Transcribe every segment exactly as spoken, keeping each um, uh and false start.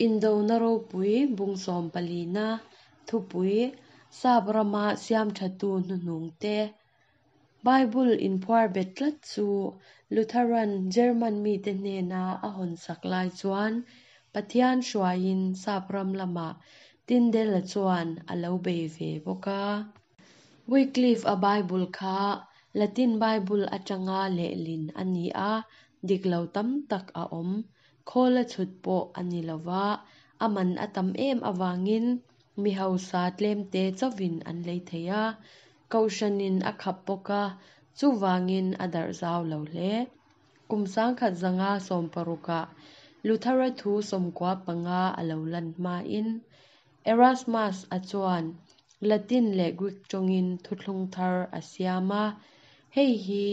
Indona ropui bung sawm palina thupui Sap rama siam thatu hnuhnung te Bible inphuar bet tlat chu Lutheran German mite hnena a hawn sak lai chuan Pathian hruaiin Sap ram lamah Tyndale chuan a lo bei ve bawk a. Wycliffe a Bible kha Latin Bible atanga lehlin a ni a, dik lo tam tak a awm. Khawla chhut pawh a ni lova, a man a tam em avangin mi hausa tlemte chauhin an lei thei a. Kohhranin a khap bawk a, chuvangin a darh zau lo hle. Kum sangkhat zanga sawm parukah Luthera thu sawmkua panga a lo lan hmain Erasmus a chuan Latin leh Greek tawngin thuthlung thar a siam a. Hei hi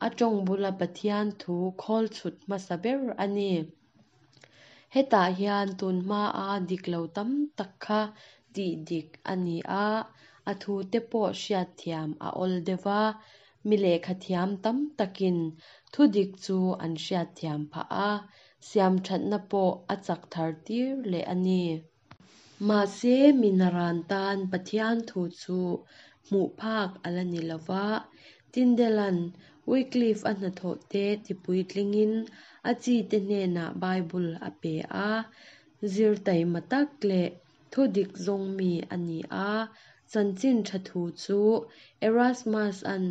a tawng bula Pathian thu khawl chhut hmasa ber a ni. Hetah hian tun hmaa dik lo tam tak kha tih dik a ni a, a thu te pawh hriat thiam a awl deuh a, mi lehkha thiam tam takin thu dik chu an hriat thiam phah a, siam thatna pawh a chak thar tir leh a ni. Mahse mi naran tan Pathian thu chu hmuh phak a la ni lova, Tyndalean Wycliffe a hnathawh te tipuitlingin a chi te hnenah Bible a pe a, zir taima tak leh thu dik zawng mi a ni a, chanchin tha thu chu Erasmus an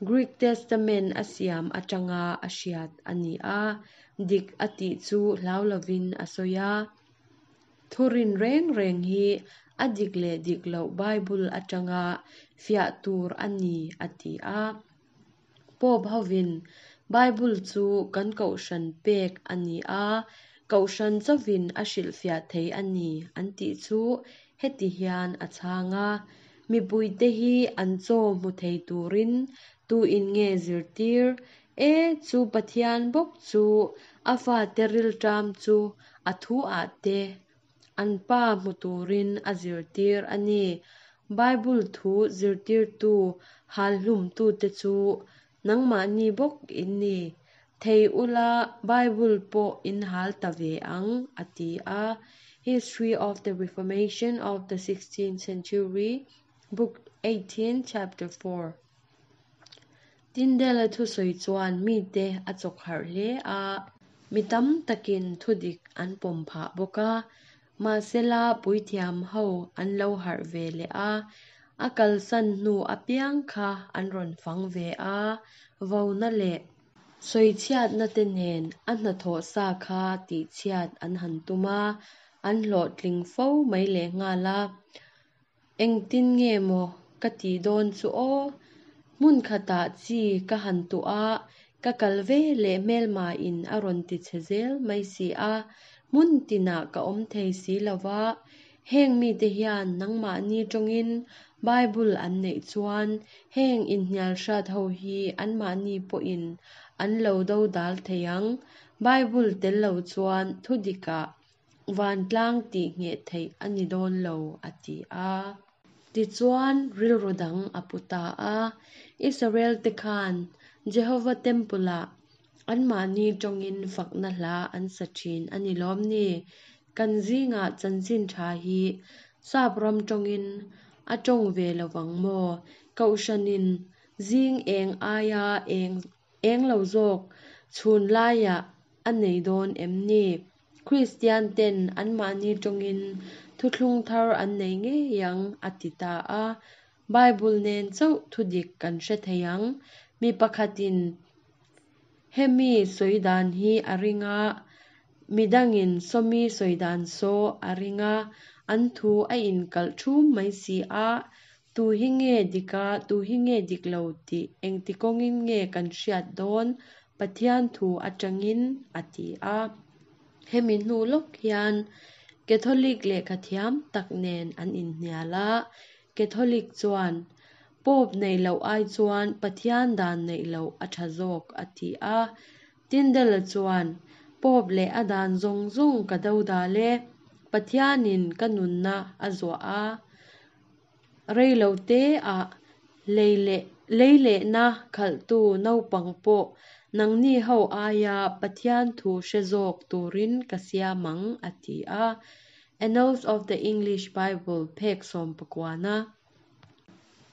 Greek Testament a siam atanga a hriat a ni a, dik a tih chu hlau lovin a sawi a. Thurin reng reng hi a dik leh dik loh Bible atanga fiah tur a ni a ti a. Pope hovin Bible chu kan kohhran pek a ni a, kohhran chauhin a hrilhfiah thei a ni an tih chu heti hian a chhang a. Mipuite hi an chaw hmu thei turin tu in nge zirtir e chu Pathian bawk chu a fate rilṭam chu a thu ah te an pa hmu turin a zirtir a ni. Bible thu zirtirtu hal hlum tu te chu nangmahni bawk in ni. Thei ula Bible pawh in hal ta ve ang a ti a. History of the Reformation of the sixteenth Century, Book eighteen, Chapter four. Tyndale thu sawi chuan mite a chawk harh hle a, mi tam takin thu dik an pawm phah bawk a. Mahsela puithiam ho an lo harh ve leh a, a kalsan hnu apiang kha an rawn fang ve a, vona leh sawichhiatna te nen a hnathawh sa kha tihchhiat an han tum a, an hlawhtling fo mai leh nghal a. Engtin nge maw ka tih dawn chu aw? Hmun khatah chi ka han tuh a, ka kal ve leh hmelma in a rawn ti che zel mai si a, hmun tinah ka awm thei si lova, heng mite hian nangmahni tawngin Bible an neih chuan heng inhnial hrat ho hi anmahni pawhin an lo do dal thei ang. Bible tel lo chuan thu dikah vantlang tih ngheh theih a ni dawn lo a ti a. Tichuan rilru dang a pu ta a, Israel te khan Jehovah Temple-ah anmahni tawngin fakna hla an sa thin a ni lawm ni. Kan zingah chanchin tha hi Sap ram tawngin a tawng ve lovang maw? Kohhranin zing eng aia eng eng lo zawk chhun laiah a nei dawn em ni? Kristian ten anmahni tawngin thuthlung thar an nei ngei ang a ti ta a. Bible nen chauh thu dik kan hre thei ang. Mi pakhatin hemi sawi dan hi a ring a, midangin sawmi sawi dan saw a ring a, an thu a inkalh thum mai si a, tu hi nge dika tu hi nge dik lo tih engti kawngin nge kan hriat dawn Pathian thu atangin a ti a. Hemi hnu lawk hian Catholic lehkha thiam tak nen an inhnial a. Catholic chuan Pope nei loh ai chuan Pathian dan neih loh a tha zawk a ti a. Tyndale chuan Pope leh a dan zawng zawng ka do dal e, Pathianin ka nunna a zuah a. Rei lo te ah lei leh lei lehna khalhtu naupang pawh Nangni ho aia Pathian thu hre zawk turin ka siam ang, a ti a. Annals of the English Bible, phek sawm pakuana.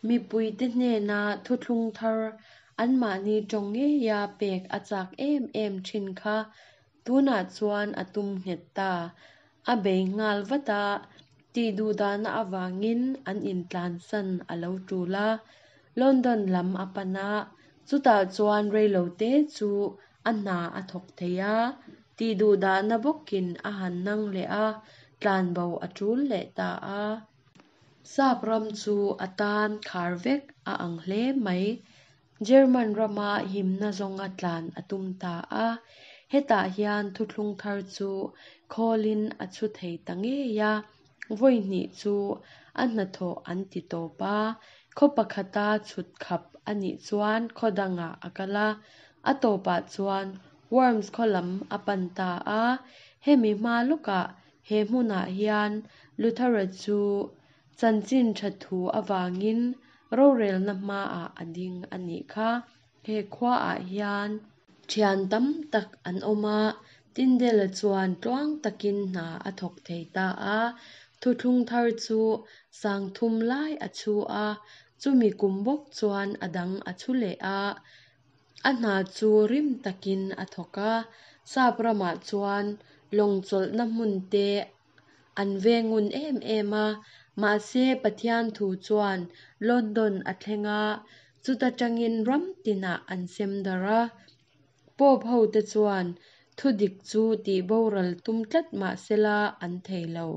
Mipuite hnena thuthlung thar anmahni tawng ngeia pek a chak em em thin kha tunah chuan a tum nghet ta. A bei nghal vat a, tihduhdahna avangin an intlansan a lo tul a. London lam a pan a, chutah chuan reilote chu a hna a thawk thei a, tihduhdahna bawkin a han nang leh a, tlanbo a tul leh ta a. Sap ram chu a tan khar vek a ang hle mai. German rama himna zawnga tlan a tum ta a. Hetah hian thuthlung thar chu khawlin a chhu thei ta ngei a. Vawi hnih chu a hnathawh an ti tawp a. Khaw pakhata chhut khap a nih chuan khaw dangah a kal a. A tawpah chuan Worms khaw lam a pan ta a. Hemi hma lawkah he hmunah hian Luthera chu chanchin tha thu avangin rorelna hmaah a ding a nih kha. He khuaah hian thian tam tak an awm a, Tyndale-a chuan tluang takin hna a thawk thei ta a. Thuthlung thar chu sang thum lai a chhu a, chumi kum bawk chuan a dang a chhu leh a. A hna chu rim takin a thawk a. Sap ramah chuan lawng chawlhna hmun te an vengun em em a, mahse Pathian thu chuan London a thleng a, chuta tangin ram tinah an sem darh a. Pope ho te chuan thudik chu tihboral tum tlat mahsela an thei lo.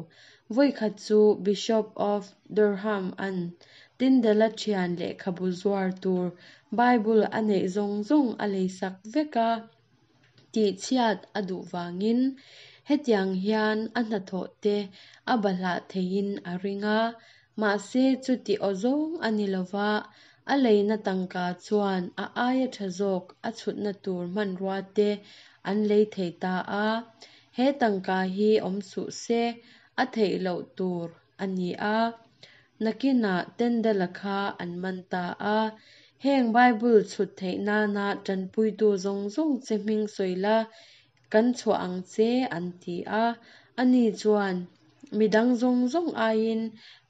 Vawikhat chu Bishop of Durham an Tyndale-a thian lehkhabu zuar tur Bible a neih zawng zawng a leisak vek a, tihchhiat a duh vangin hetiang hian a hnathawh te a bahlah theiin a ring a. Mahse chuti aw zawng a ni lova, a leina tangka chuan a aia tha zawk a chhutna tur hmanrua te an lei thei ta a. He tangka hi awm suh se a theih loh tur a ni a. Nakinah Tyndale-a kha an man ta a. Heng Bible chhut theih nana tanpuitu zawng zawng che hming sawi la, kan chhuah ang che an ti a. Ani chuan midang zawng zawng aiin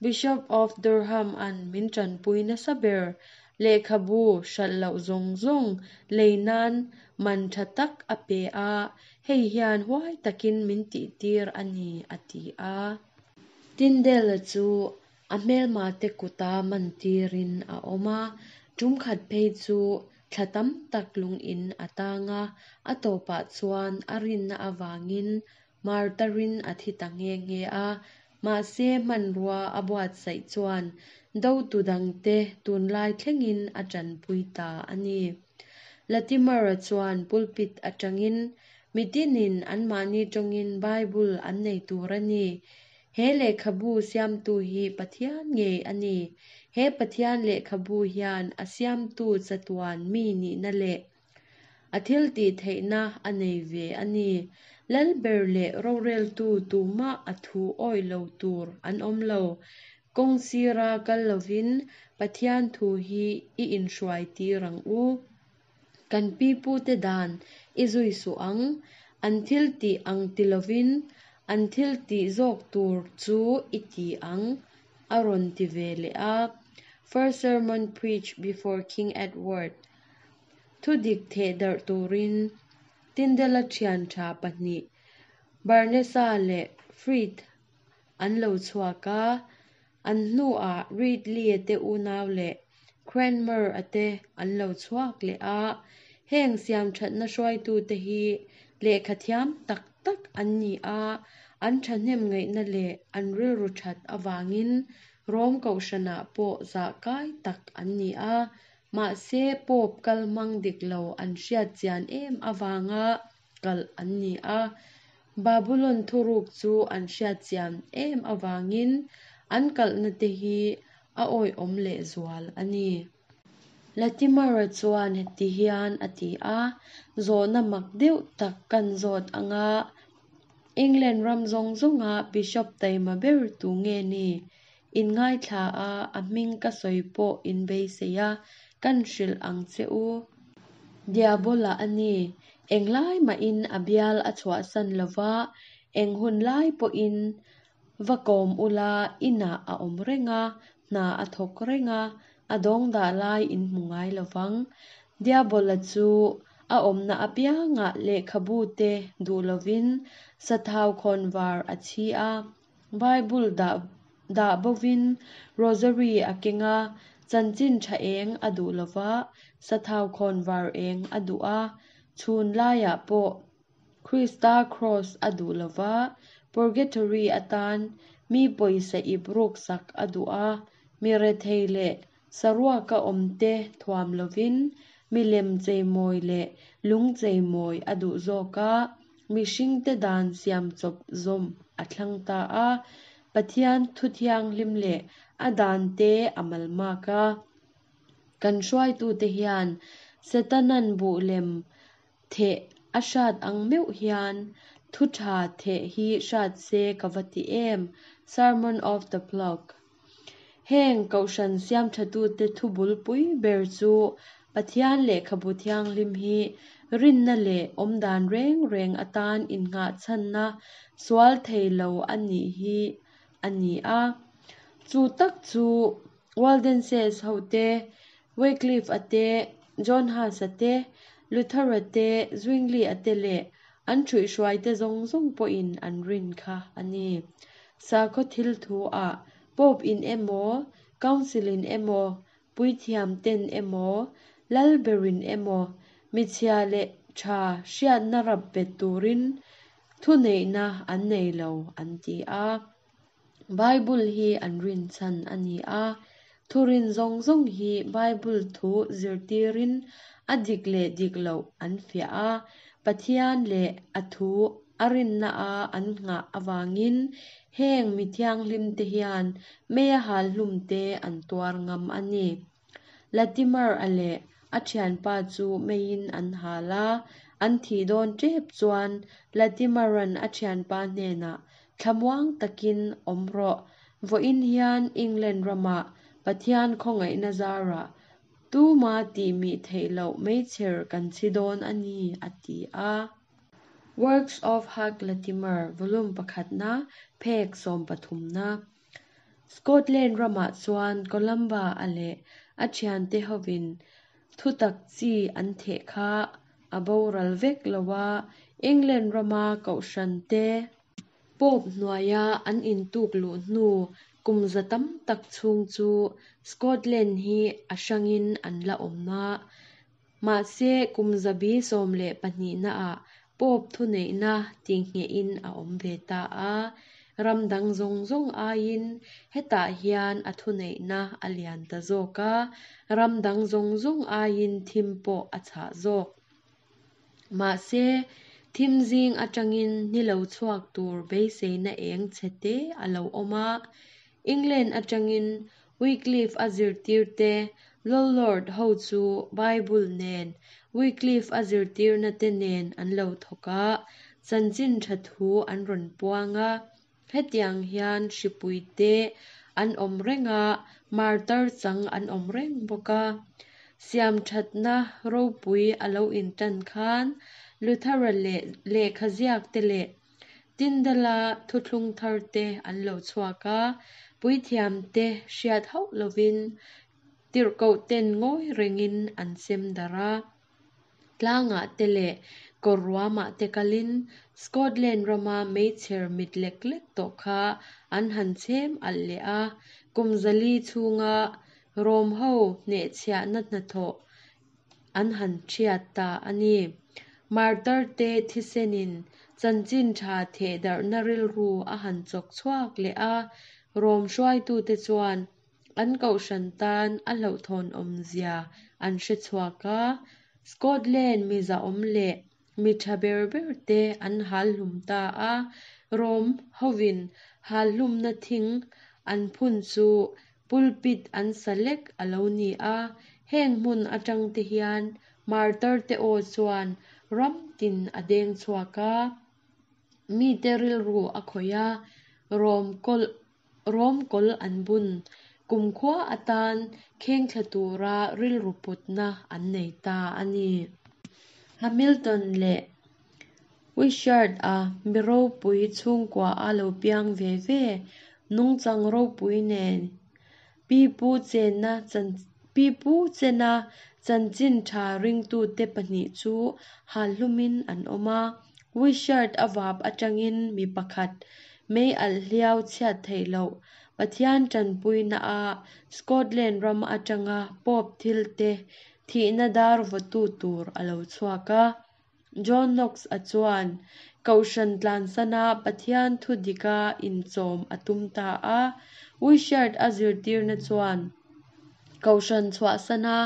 Bishop of Durham an min tanpui nasa ber lehkhabu hralh loh zawng zawng lei nan man tha tak a pe a, hei hian huai takin min tihtir a ni, a ti a. Tyndale-a chu a hmelma te kuta man tirin a awm a. Tum khat phei chu thla tam tak lungin a tang a, a tawpah chuan a rinna avangin martarin a thi ta nge nge a. Mahse hmanrua a buatsaih chuan dotu dangte tunlai thlengin a tanpui ta a ni. Latimer-a chuan pulpit atangin mitinin anmahni tawngin Bible an nei tur a ni. He lehkhabu siamtu hi Pathian ngei a ni. He Pathian lehkhabu hian a siamtu chatuan mi nihna leh a thil tih theihna a nei ve a ni. Lalber leh roreltu tumah a thu awi lo tur an awm lo. Kawng sira kal lovin Pathian thu hi i inhruai tir ang u. Kan pipute dan i zui suh ang. An thil tih ang ti lovin an thil tih zawk tur chu i ti ang, a rawn ti ve leh a. First sermon preached before King Edward. Thudik theh darh turin Tyndale-a thian tha pahnih Barnesa leh Frith an lo chhuak a. An hnuah Ridley-a te unau leh Cranmer-a te an lo chhuak leh a. Heng siam thatna hruaitute hi lehkha thiam tak tak an ni a, an thahnem ngaihna leh an rilru that avangin Rom kohhranah pawh zah kai tak an ni a. Mahse Pope kal hmang dik lo an hriat chian em avanga kalh an ni a. Babulon thuruk chu an hriat chian em avangin an kalhna te hi a awihawm leh zual a ni. Latimer-a chuan heti hian a ti a, zawhna mak deuh tak kan zawt anga England ram zawng zawnga Bishop taima ber tu nge ni? In ngaithla a, a hming ka sawi pawh in beisei a, kan hrilh ang che u. Diabola a ni. Englai mahin a bial a chhuahsan lova, eng hun lai pawhin va kawm ula inah a awm reng a, hna a thawk reng a, a dawng dah lai in hmu ngai lovang. Diabola chu a awmna apiangah lehkhabu te duh lovin sathau khawnvar a chhi a, Bible dah dah bovin rosary a keng a, chanchin tha eng a duh lova, sathau khawnvar eng a duh a, chhun laiah pawh Krista cross a duh lova, purgatory atan mi pawisa ip ruk sak a duh a, mi rethei leh saruaka awmte thuam lovin milem cheimawi leh lung cheimawi a duh zawk a, mihringte dan siam chawp zawm a thlang ta a, Pathian thu thianghlim leh a dante a malmak a. Kan hruaitute hian Setanan buh lem theh a hrat ang meuh hian thu tha theh hi hrat se ka va ti em. Sermon of the Flock. Heng kohhran siam thatute thu bulpui ber chu Pathian lehkhabu thianghlim hi rinna leh awmdan reng reng atan innghahchhanna sual thei lo a nih hi a ni a. Chu tak chu Waldenses ho te, Wycliffe a te, John Huss a te, Luther a te, Zwingli a te leh an thuihhruai te zawng zawng pawhin an rin kha a ni. Sakhaw thil thu ah Pope in emaw, Council in emaw, puithiam ten emaw, lalberin emaw, michhia leh tha hriatna rap bet turin thu neihna an nei lo an ti a. Bible hi an rin chhan a ni a, thurin zawng zawng hi Bible thu zirtirin a dik leh dik loh an fiah a, Pathian leh a thu a rinna a an nghah awangin heng mi thianghlim te hian meia hal hlum te an tuar ngam a ni. Latimer a leh a thianpa chu meiin an hal a, an thi dawn tep chuan Latimeran a thianpa hnenah thlamuang takin awm rawh vawiin hian England ramah Pathian khawngaihna zara tuma tih mi theih loh meichher kan chhi dawn a ni a ti a. Works of Hugh Latimer volume pakhatna phek sawm pathumna. Scotland ramah chuan Columba a leh a thiante hovin thutak chi an theh kha a boral vek loa England rama kohhran te Pope hnuaia an intuk luh hnu kum za tam tak chhung chu Scotland hi a hrangin an la awm a. Mahse kum zabi sawm leh pahnihna ah Pope thu neihna tinghehin a awm ve ta a. Ram dang zawng zawng aiin hetah hian a thu neihna a lian ta zawk a, ram dang zawng zawng aiin thim pawh a chhah zawk. Mahse thim zing atangin ni lo chhuak tur beiseina eng chhe te a lo awm a. England atangin Wycliffe a zirtirte Lollard ho chu Bible nen Wycliffe a zirtirna te nen an lo thawk a, chanchin tha thu an rawn puang a. Hetiang hian hripui te an awm reng a, martar chang an awm reng bawk a. Siam thatna ropui a lo intan khan Luthera leh lehkha ziak te leh Tyndale-a thuthlung thar te an lo chhuak a, puithiam te hriat hauh lovin tirhkoh ten ngawi rengin an sem dar a. Tlangah te leh kawr ruamah te kalin Scotland rama meichher mit lek lek tawh kha an han chhem alh leh a, kum zali chhunga Rom ho hnehchhiahna hnathawh an han thiat ta a ni. Martar te thisenin chanchin tha theh darhna rilru a han chawk chhuak leh a, Rom hruaitute chuan an kohhran tan a hlauhthawn awmzia an hre chhuak a. Scotland mi zahawm leh mi tha ber ber te an hal hlum ta a, Rom hovin hal hlumna thing an phun chu pulpit an sa lek a lo ni a. Heng hmun atang te hian martar te aw chuan ram tin a deng chhuak a, mi te rilru a khawih a, Rom kawl Rom kawl an bun kumkhua atan kheng thla tura rilru putna an nei ta a ni. Hamilton leh Wishart-a mi ropui chhungkua a lo piang ve ve, nungchang ropui nen pipu chenna pipu chena chanchin tha ringtute pahnih chu hal hlumin an awm a. Wishart-a vap atangin mi pakhat mei alh hliau chhiat theih loh Pathian tanpuina-a Scotland ram atanga Pope thilte thihna dar vawtu tur a lo chhuak a. John Knox-a chuan Kohhran tlansana Pathian thu dika inchawm a tum ta a. Wishart-a zirtirna chuan Kohhran chhuahsana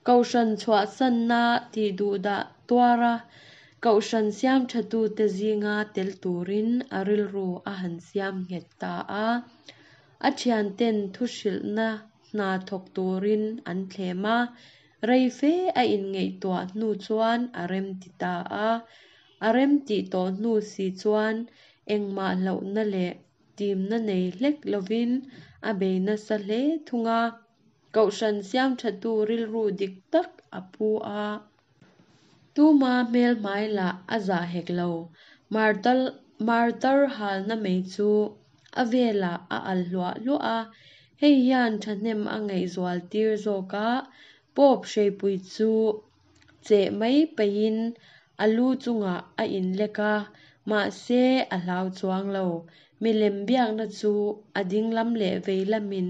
Kohhran chhuahsanna tihduhdah tuara Kohhran siam thatute zinga tel turin a rilru a han siam nghet ta a. A thianten thu hrilhna hna thawk turin an thlem a, rei fe a inngaihtuah hnu chuan a rem ti ta a. A rem tih tawh hnu si chuan engmah hlauhna leh timna nei hlek lovin a bei nasa hle thung a. Kohhran siam thatu rilru dik tak a pu a. Tuma hmel hmai lah a zah hek lo. Martar martar halna mai chu a velah a al hluah hluah a. Hei hian thahnem a ngaihzual tir zawk a, Pope hreipui chu cheh mai peihin a lu chungah a inlek a, mahse a hlau chuang lo. Milem biakna chu a dinglam leh vei lamin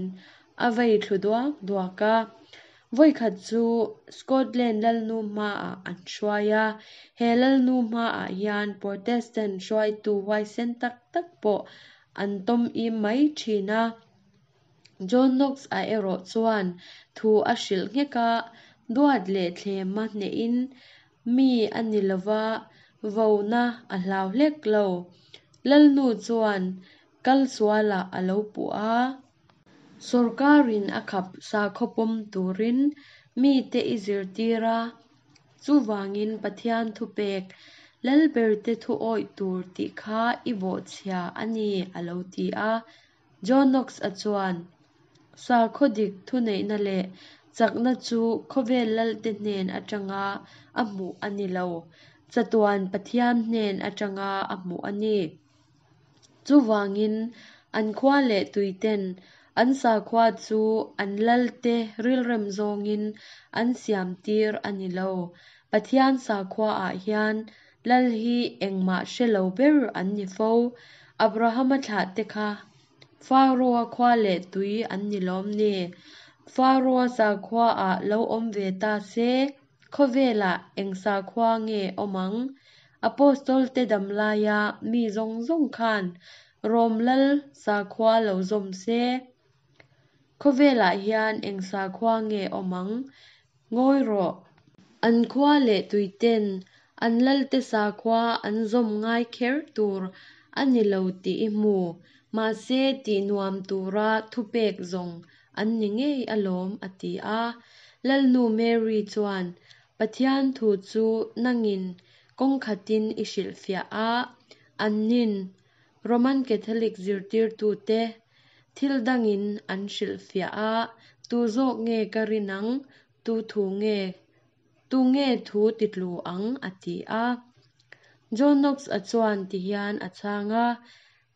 a vei thlu duak duak a. Vawikhat chu Scotland lalnu hmaah an hruai a. He lalnu hmaah hian Protestant hruaitu huaisen tak tak pawh an tawm im mai thin a. John Knox-a erawh chuan thu a hrilh nghek a, duat leh thlema hnehin mi a ni lova, vona a hlau hlek lo. Lalnu chuan kal sualah a lo puh a. Sorkarin a khap sakhaw pawm turin mite i zirtir a, chuvangin Pathian thupek lalberte thu awih tur tih kha i bawhchhia a ni a lo ti a. John Knox-a chuan sakhaw dik thuneihna leh chakna chu khawvel lalte hnen atanga a hmuh a ni lo, chatuan Pathian hnen atanga a hmuh a ni. Chuvangin an khua leh tuiten an sakhua chu an lalte rilrem zawngin an siam tir a ni lo. Pathian sakhua-ah hian lal hi engmah hre lo ber an ni fo. Abrahama thlahte kha Pharaoh-a khua leh tui an ni lawm ni. Pharaoh-a sakhua-ah lo awm ve ta se, khawvelah eng sakhua nge awm ang? Apostol te damlaia mi zawng zawng khan Rom lal sakhua lo zawm se, khawvelah hian eng sakhua nge awm ang? Ngawi rawh. An khua leh tuiten an lalte sakhua an zawm ngai kher tur a ni lo tih i hmu. Mahse tih nuam tura thupek zawng an ni ngei alawm a ti a. Lalnu Mary chuan Pathian thu chu nangin kawng khatin i hrilhfiah a, annin Roman Catholic zirtirtute thil dangin an hrilhfiah a, tu zawk nge ka rin ang, tu thu nge tu nge thu titlu ang a ti a. John Knox-a chuan tihian a chhang a,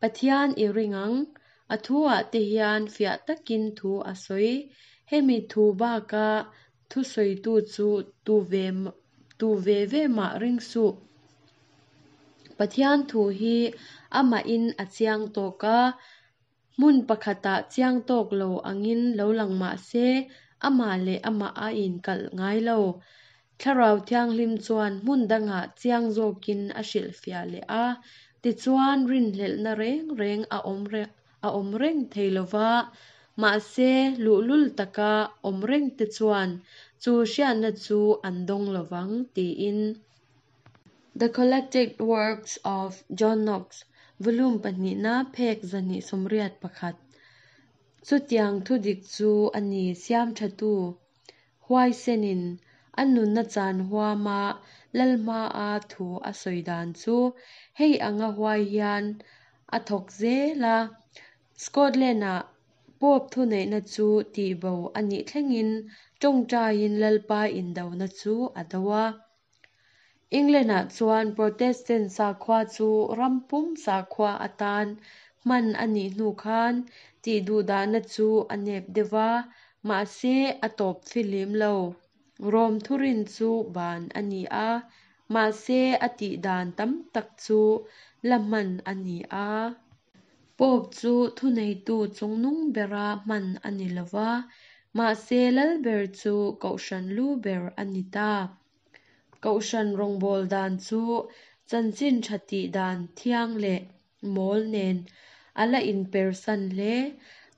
Pathian i ring ang, a thu-ah te hian fiah takin thu a sawi. Hemi thu baka thu sawitu chu tu ve tu ve ve mah ring suh. Pathian thu hi amahin a chiang tawk a, hmun pakhatah chiang tawk lo angin lo lang mah se, amah leh amah a inkalh ngai lo. Thlarau Thianghlim chuan hmun dangah chiang zawkin a hrilhfiah leh a, tichuan rinhlelhna reng reng a awm a awm reng thei lova, mahse luhlul taka awm reng te chuan chu hriatna chu an dawng lovang tiin. The Collected Works of John Knox, Volume pahnihna phek zahnih sawmriat pakhat. Chutiang thudik chu a ni siam thatu huaisenin a nunna chan huama lalhmaa thu a sawi dan chu hei anga huai hian a thawk zel a. Scotland-ah Pope thuneihna chu tihbo a nih thlengin tawngtaiin lalpa indona chu a do a. England-ah chuan Protestant sakhua chu ram pum sakhua atan hman a nih hnu khan tihduhdahna chu a nep deuh va, mahse a tawp fihlim lo. Rom thurin chu ban a ni a, mahse a tihdan tam tak chu la hman a ni a. Pope chu thuneitu chungnung bera hman a ni lo va, mahse lalber chu kohhran lu ber a ni ta. Kohhran rawngbawl dan chu chanchin tha tih dan thiang leh mawl nen a la inpersan hle.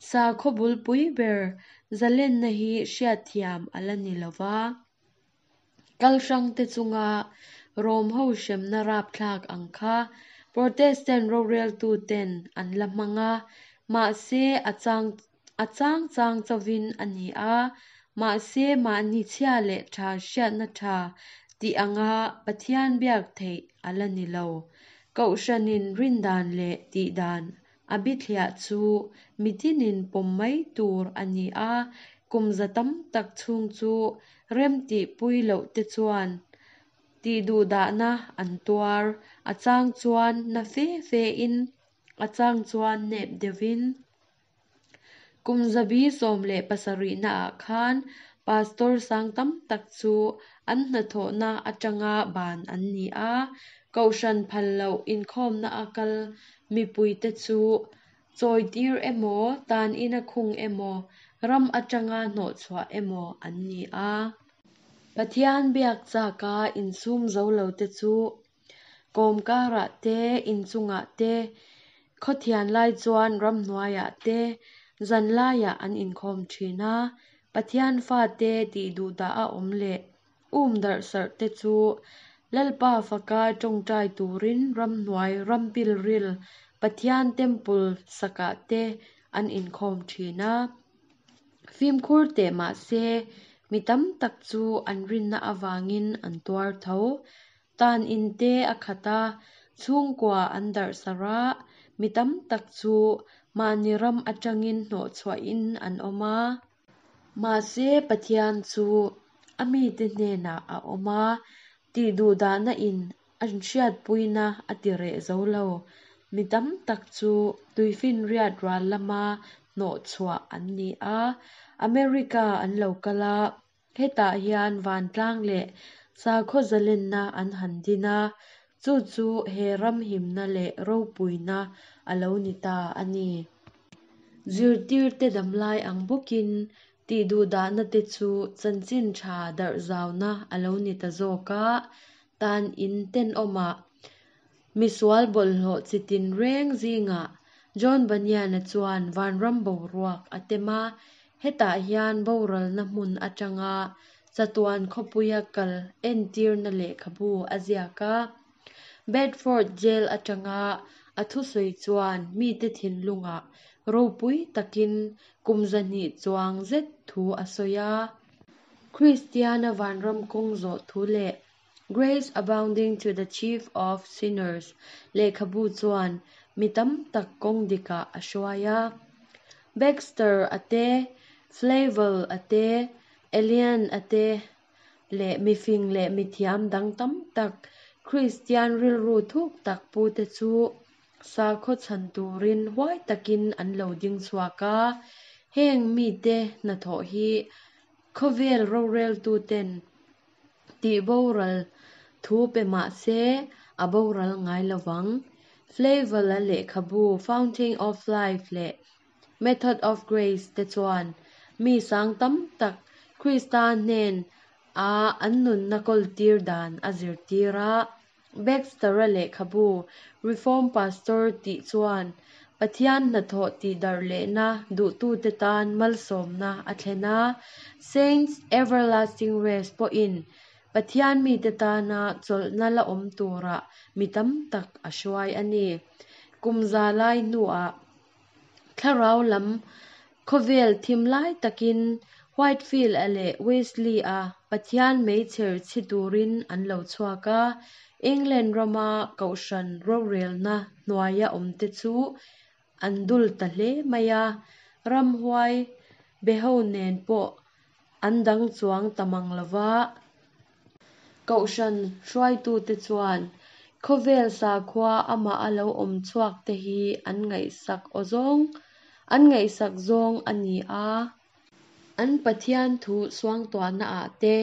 Sakhaw bulpui ber zalenna hi hriatthiam a la ni lo va. Kal hrangte chunga Rom ho hremna rapthlak ang kha Protestant roreltuten an la hmang a, mahse a chang a chang chang chauhin a ni a, mahse mahni chhia leh tha hriatna tha tih anga Pathian biak theih a la ni lo. Kohhranin rindan leh tihdan a bithliah chu mitinin pawm mai tur a ni a, kum za tam tak chhung chu remtihpui loh te chuan tihduhdahna an tuar, a chang chuan na fe fe in, a chang chuan nep deuhin. Kum zabi sawm leh pasarihnaah khan pastor sang tam tak chu an hnathawhna atanga ban an ni a, kohhran phal loh inkhawmna a kal mipuite chu chawitir emaw, tan ina khung emaw, ram atanga hnawhchhuah emaw an ni a. Pathian biak chaka insum zo lo te chu kawmkarah te, inchungah te, khawthian lai chuan ramhnuaiah te, zan laiah an inkhawm thin a. Pathian fate tihduhdah a awm leh um darh sarh te chu Lalpa faka tawngtai turin ramhnuai rampilril Pathian temple sakah te an inkhawm thin a. Fimkhur teh mahse mi tam tak chu an rinna avangin an tuar tho. Tan in te a khat a, chhungkua an darh sarh a, mi tam tak chu mahni ram atangin hnawhchhuahin an awm a. Mahse Pathian chu a mite hnenah a awm a, tihduhdahna in an hriatpuina a ti reh zo lo. Mi tam tak chu tuifinriat ral lama hnawhchhuah an ni a, America an lo kal a, hetah hian vantlang leh sakhaw zalenna an han din a, chu chu he ram himna leh ropuina a lo ni ta a ni. Zirtirte damlai ang bawkin tihduhdahna te chu chanchin tha darh zauna a lo ni ta zawk a, tan in tenawmah misual bawlhhlawh chitin reng zingah John Bunyan-a chuan vanram boruak a tem a, hetah hian boralna hmun atanga chatuan khawpuia kal entirna lehkhabu a ziak a. Bedford Jail atanga a thusawi chuan mite thinlungah ropui takin kum zahnih chuang zet thu a sawi a. Kristiana vanram kawng zawh thu leh Grace Abounding to the Chief of Sinners lehkhabu chuan mi tam tak kawng dikah a hruai a. Baxter a te, Flavel a te, Elian a te leh mifing leh mithiam dang tam tak Kristian rilru thuk tak pu te chu sakhaw chhan turin huai takin an lo ding chhuak a. Heng mite hnathawh hi khawvel roreltuten tihboral thu pe mahse a boral ngai lovang. Flavel a lehkhabu Fountain of Life leh Method of Grace te chuan mi sang tam tak Krista hnen a an nunna kawltir dan a zirtir a. Baxter-a lehkhabu Reform Pastor tih chuan Pathian hnathawh tihdarh lehna duhtute tan malsawmna a thlen a. Saints Everlasting Rest pawhin Pathian mite tana chawlhna la awm turah mi tam tak a hruai a ni. Kum za lai hnuah thlarau lam khawvel thim lai takin Whitefield-a leh Wesley-a Pathian meichher chhi turin an lo chhuak a. England rama kohhran rorelna hnuaia awmte chu an dul ta hle mai a. Ramhuai beho nen pawh an dang chuang ta mang lova. Kohhran hruaitute chuan khawvel sakhua amaha lo awm chhuakte hi an ngaihsak awzawng an ngaihsak zawng a ni a. An Pathian thu suangtuahnaah te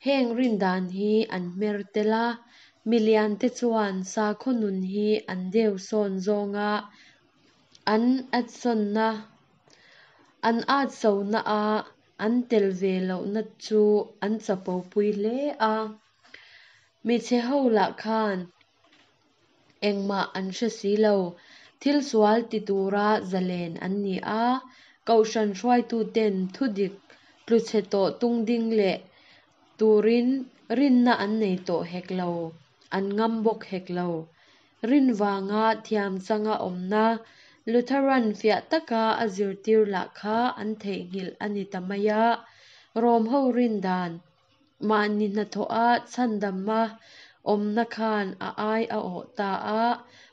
heng rindan hi an hmer tel a. Miliante chuan sakhaw nun hi an deusawn zawnga an atsawnna an atsona a an tel ve lohna chu an chapopui hle a. Mi chhe ho lah khan engmah an hre si lo. Thil sual ti tura zalen an ni a. Kohhran hruaituten thudik tluchhe tawh tungding leh turin rinna an nei tawh hek lo, an ngam bawk hek lo. Rin vanga thiam changa awmna Lutheran fiah taka a zirtir lah kha an theihnghilh a ni ta mai a. Rom ho rin dan mahni hnathawha chhandama awmna khan a ai a awh ta a.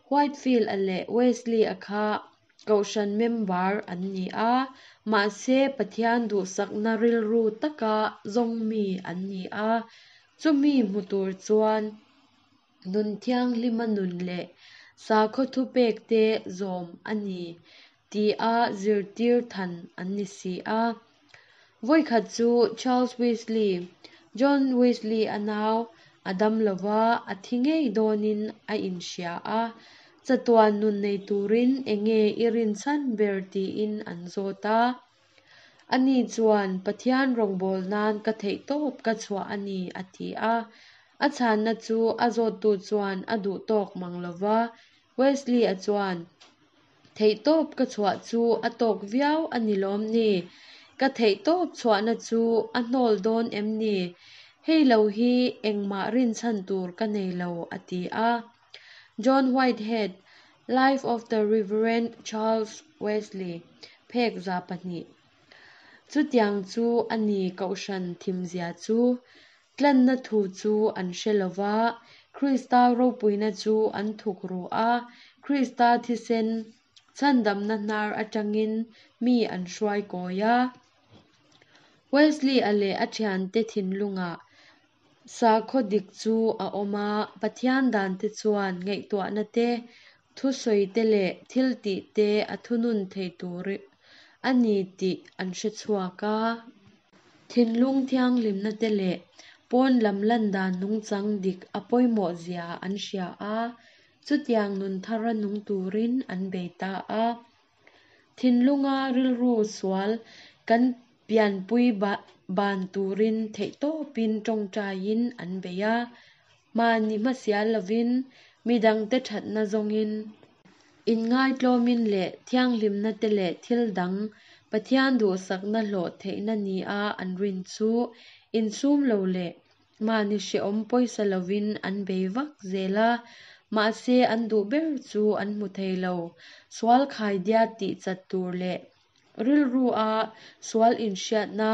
Whitefield-a leh Wesley-a kha kohhran member an ni a, mahse Pathian duhsakna rilru taka zawng mi an ni a. Chumi hmu tur chuan nun thianghlima nun leh sakhaw thupekte zawm a ni tia zirtir than an ni si a. Vawikhat chu Charles Wesley, John Wesley-a nau a dam lova, a thi ngei dawnin a inhria a. Chatuan nun nei turin enge i rinchhan ber tiin an zawt a. Ani chuan Pathian rawngbâwl nan ka theihtawp ka chhuah a ni a ti a. A chhanna chu a zawttu chuan a duh tawk mang lova. Wesley-a chuan theihtawp ka chhuah chu a tawk viau a ni lawm ni? Ka theihtawp chhuahna chu a hnawl dawn em ni? Hei lo hi engmah rinchhan tur ka nei lo a ti a. John Whitehead, Life of the Reverend Charles Wesley, phek za pahnih. Chutiang chu a ni kohhran thimzia chu. Tlanna thu chu an hre lova, Krista ropuina chu an thukru a, Krista thisen chhandamna hnar atangin mi an hruai kawi a. Wesley-a leh a thiante thinlungah sakhaw dik chu a awm a, Pathian dante chuan ngaihtuahna te, thusawite leh thil tihte a thunun thei tur a ni tih an hre chhuak a. Thinlung thianghlimna te leh pawn lam lan dan nungchang dik a pawimawh zia an hria a, chutiang nun thara nung turin an bei ta a. Thinlunga rilru sual kan pianpui ban turin theihtawpin tawngtaiin an bei a. Mahni hmasial lovin midangte thatna zawngin inngaitlawmin leh thianghlimna te leh thil dang Pathian duhsakna hlawh theihna ni a an rin chu insum lo leh mahni hreawm pawisa lovin an bei vak zel a. Mahse an duh ber chu an hmu thei lo. Sual khaidiat tih chat tur leh rilru a sual inhriatna,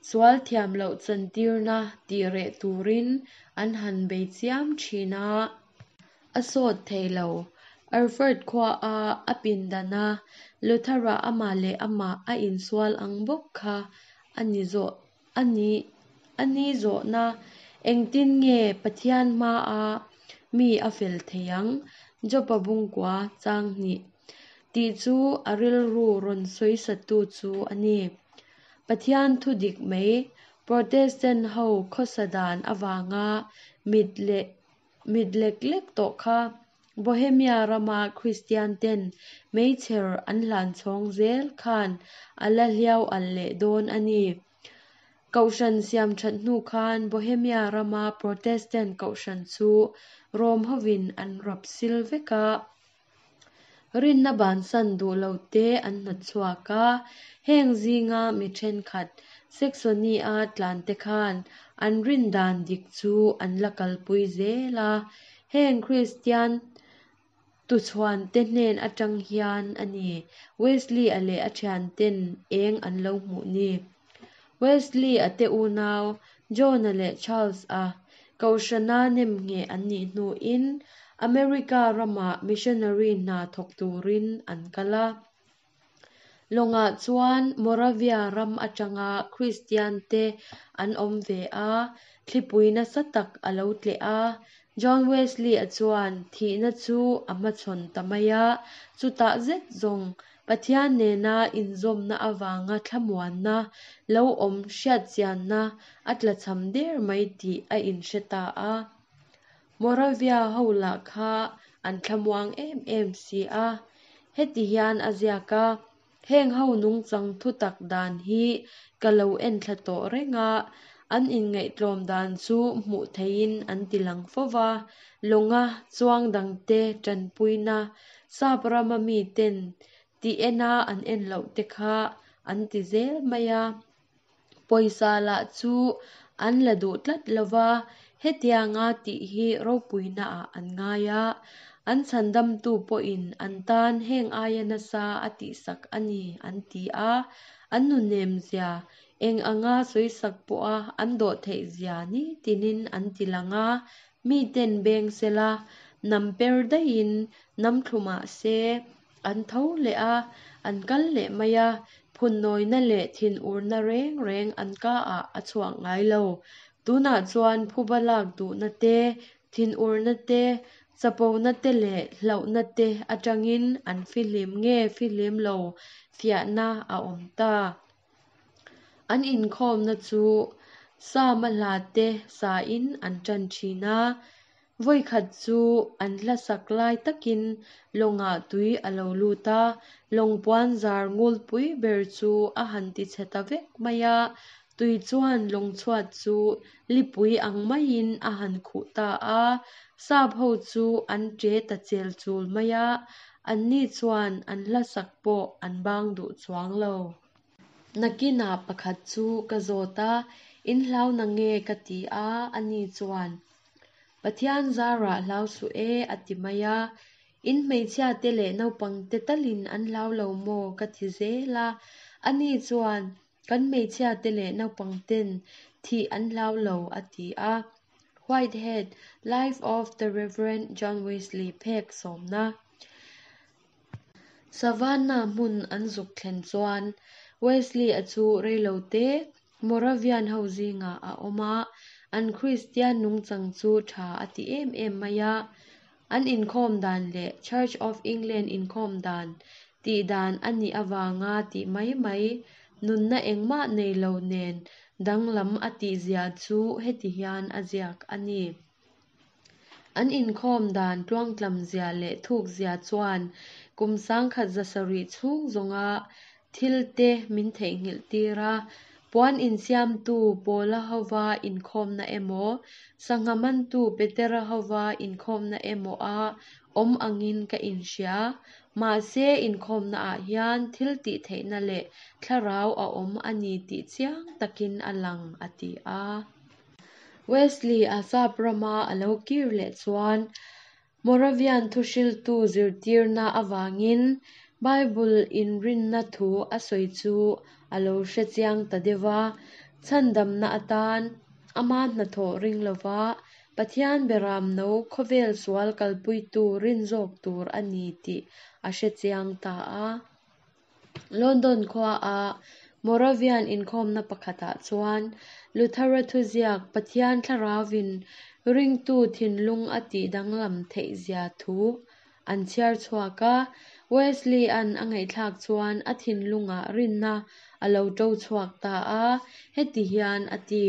sual thiam loh chantirna tih reh turin an han bei chiam thin a. A sawt thei lo. Erfurt khua a a pindana Luthera amah leh amah a insual ang bawk kha a ni zawh a ni a ni zawhna engtin nge Pathian hmaa mi a fel thei ang Jopa bungkua chang hnih tih chu a rilru rawn sawisatu chu a ni. Pathian thu dik mai Protestant ho khawsa dan avanga mit leh mit lek lek tawh kha Bohemia rama Kristian ten meichher an hlan chhawng zel khan a la hliau al leh dawn a ni. Kohhran siam that hnu khan Bohemia rama Protestant kohhran chu Rom hovin an rap sil vek a. Rinna bansan duh lo te an hnawt chhuak a. Heng zinga mi thenkhat Saxony a tlan te khan an rin dan dik chu an la kalpui zel a. Heng Kristian tuchhuan te hnen atang hian a ni. Wesley-a leh a thianten eng an lo hmuh ni. Wesley-a te unau John-a leh Charles-a kohhrana nemngheh an nih hnuin America rama missionary hna thawk turin an kal a. Lawngah chuan Moravia ram atanga Kristiante an awm ve a, thlipui nasa tak a lo tleh a. John Wesley-a chuan thihna chu a hmachhawn ta mai a, chutah zet zawng Pathian nena inzawmna avanga thlamuanna lo awm hriatchianna a tlachham der mai tih a inhre ta a. Moravia ho lah kha an thlamuang em em si a. Heti hian a ziak a, Heng ho nungchang thutak dan hi ka lo enthla tawh reng a, an inngaihtlawm dan chu hmuh theihin an tilang fo va, lawnga chuang dangte tanpuina sap rama miten tih ena an en loh te kha an ti zel mai a. Pawisa lah chu an la duh tlat lo va, hetianga tih hi ropuinaah an ngai a, an chhandamtu pawhin an tan heng aia nasa a tihsak a ni an ti a, an nunemzia eng anga sawisak pawha an dawh theihzia nitinin an tilang a, miten beng sela, nam per daihin nam thlu mah se, an tho leh a, an kal leh mai a, phunnawina leh thinurna reng reng an kaah a chhuak ngai lo. Tunah chuan phuba lak duhna te, thinurna te, chapona te leh hlauhna te atangin an fihlim nge fihlim lo fiahna a awm ta. An inkhawmna chu Sama hla te sain an tan thin a. Vawikhat chu an hla sak lai takin lawngah tui a lo lut a, lawng puan zar ngulpui ber chu a han tichhe ta vek mai a, tui chuan lawng chhuat chu lipui ang maiin a han khuh ta a, sap ho chu an ṭe ta chel chul mai a, anni chuan an hla sak pawh an bang duh chuang lo. Nakinah pakhat chu ka zawt a, in hlau na nge ka ti a, ani chuan, Pathian zarah hlau suh e a ti mai a, in hmeichhiate leh naupangte talin an hlau lo maw ka ti zel a, ani chuan, Kan hmeichhiate leh naupangten thih an hlau lo a ti a. Whitehead, Life of the Rev. John Wesley phek sawmna. Savannah hmun an zuk thlen chuan Wesley-a chu reilote Moravian ho zingah a awm a, an Kristian nungchang chu tha a ti em em mai a. An inkhawm dan leh Church of England inkhawm dan tih dan a nih avanga tih mai mai, nunna engmah nei lo nen danglam a tihzia chu heti hian a ziak a ni. An inkhawm dan tluangtlamzia leh thukzia chuan kum sangkhat za sarih chhung zawnga thilte min theihnghilh tir a, puan insiamtu Paula hova inkhawmna emaw, sangha mantu Petera hova inkhawmna emaw a awm angin ka inhria. Mahse, inkhawmnaah hian thil tih theihna leh thlarau a awm a ni tih chiang takin a lang, a ti a. Wesley-a sap rama a lo kir leh chuan Moravian thuhriltu zirtirna avangin Bible inrinna thu a sawi chu a lo hre chiang ta deuh va, chhandamna atan ama hnathawh ring lova Pathian beramno khawvel sual kalpuitu rin zawk tur a ni tih a hre chiang ta a. London khuaa Moravian inkhawmna pakhatah chuan Luthera thuziak Pathian Thlarauvin ringtu thinlung a tih danglam theihzia thu an chhiar chhuak a, Wesley-a'n a ngaihthlak chuan a thinlungah rinna a lo to chhuak ta a, heti hian a ti,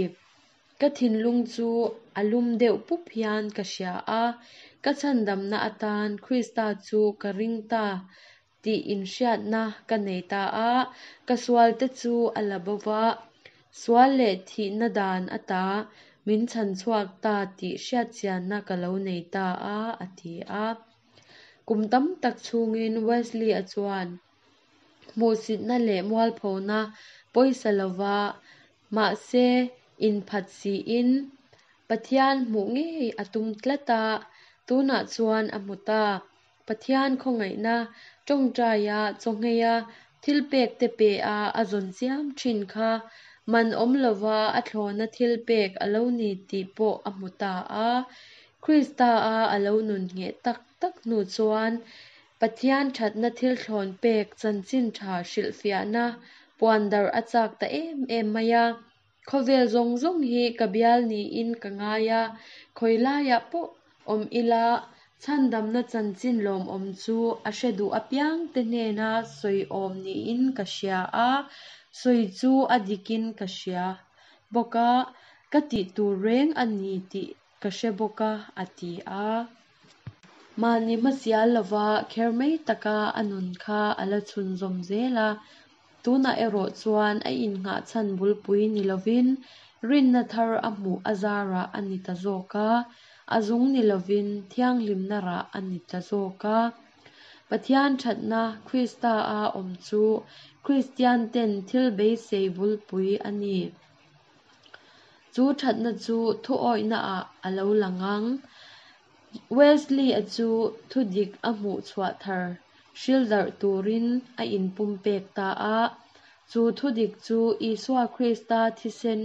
Ka thinlung chu a lum deuh pup hian ka hria a, ka chhandamna atan Krista chu ka ring ta tih inhriatna ka nei ta a, ka sualte chu a la bo va, sual leh thihna dan ata min chhanchhuak ta tih hriatchianna ka lo nei ta a, a ti a. Kum tam tak chhungin Wesley-a chuan hmuhsitna leh mualphona pawisa lova, mahse inphat siin Pathian hmuh ngei a tum tlat a, tunah chuan a hmu ta. Pathian khawngaihna tawngtaia chawngheia thilpek te pe a a zawn chiam thin kha man awm lova a thlawna thilpek a lo ni tih pawh a hmu ta a. Krista-a a lo nun ngheh tak tak hnu chuan Pathian thatna thil thlawn pek chanchin tha hrilhfiahna puandarh a chak ta em em mai a. Khawvel zawng zawng hi ka bial niin ka ngai a, khawi laiah pawh awm ila chhandamna chanchin lawmawm chu a hre duh apiangte hnena sawi awm niin ka hria a, sawi chu a dikin ka hria bawk a, ka tih tur reng a ni tih ka hre bawk a, a ti a. Mahni hmasial lova kher mai taka a nun kha a la chhunzawm zel a. Tunah erawh chuan a innghah chhan bulpui ni lovin rinna thar a hmuh a zarah a ni ta zawk a, a zung ni lovin thianghlimna rah a ni ta zawk a. Pathian thatna Krista a awm chu Kristian ten thil beisei bulpui a ni. Chu thatna chu thu awihnaah a lo lang ang. Wesley-a chu thudik a hmuh chhuah thar hrildarh turin a inpumpek ta a. Chu thudik chu Isua Krista thisen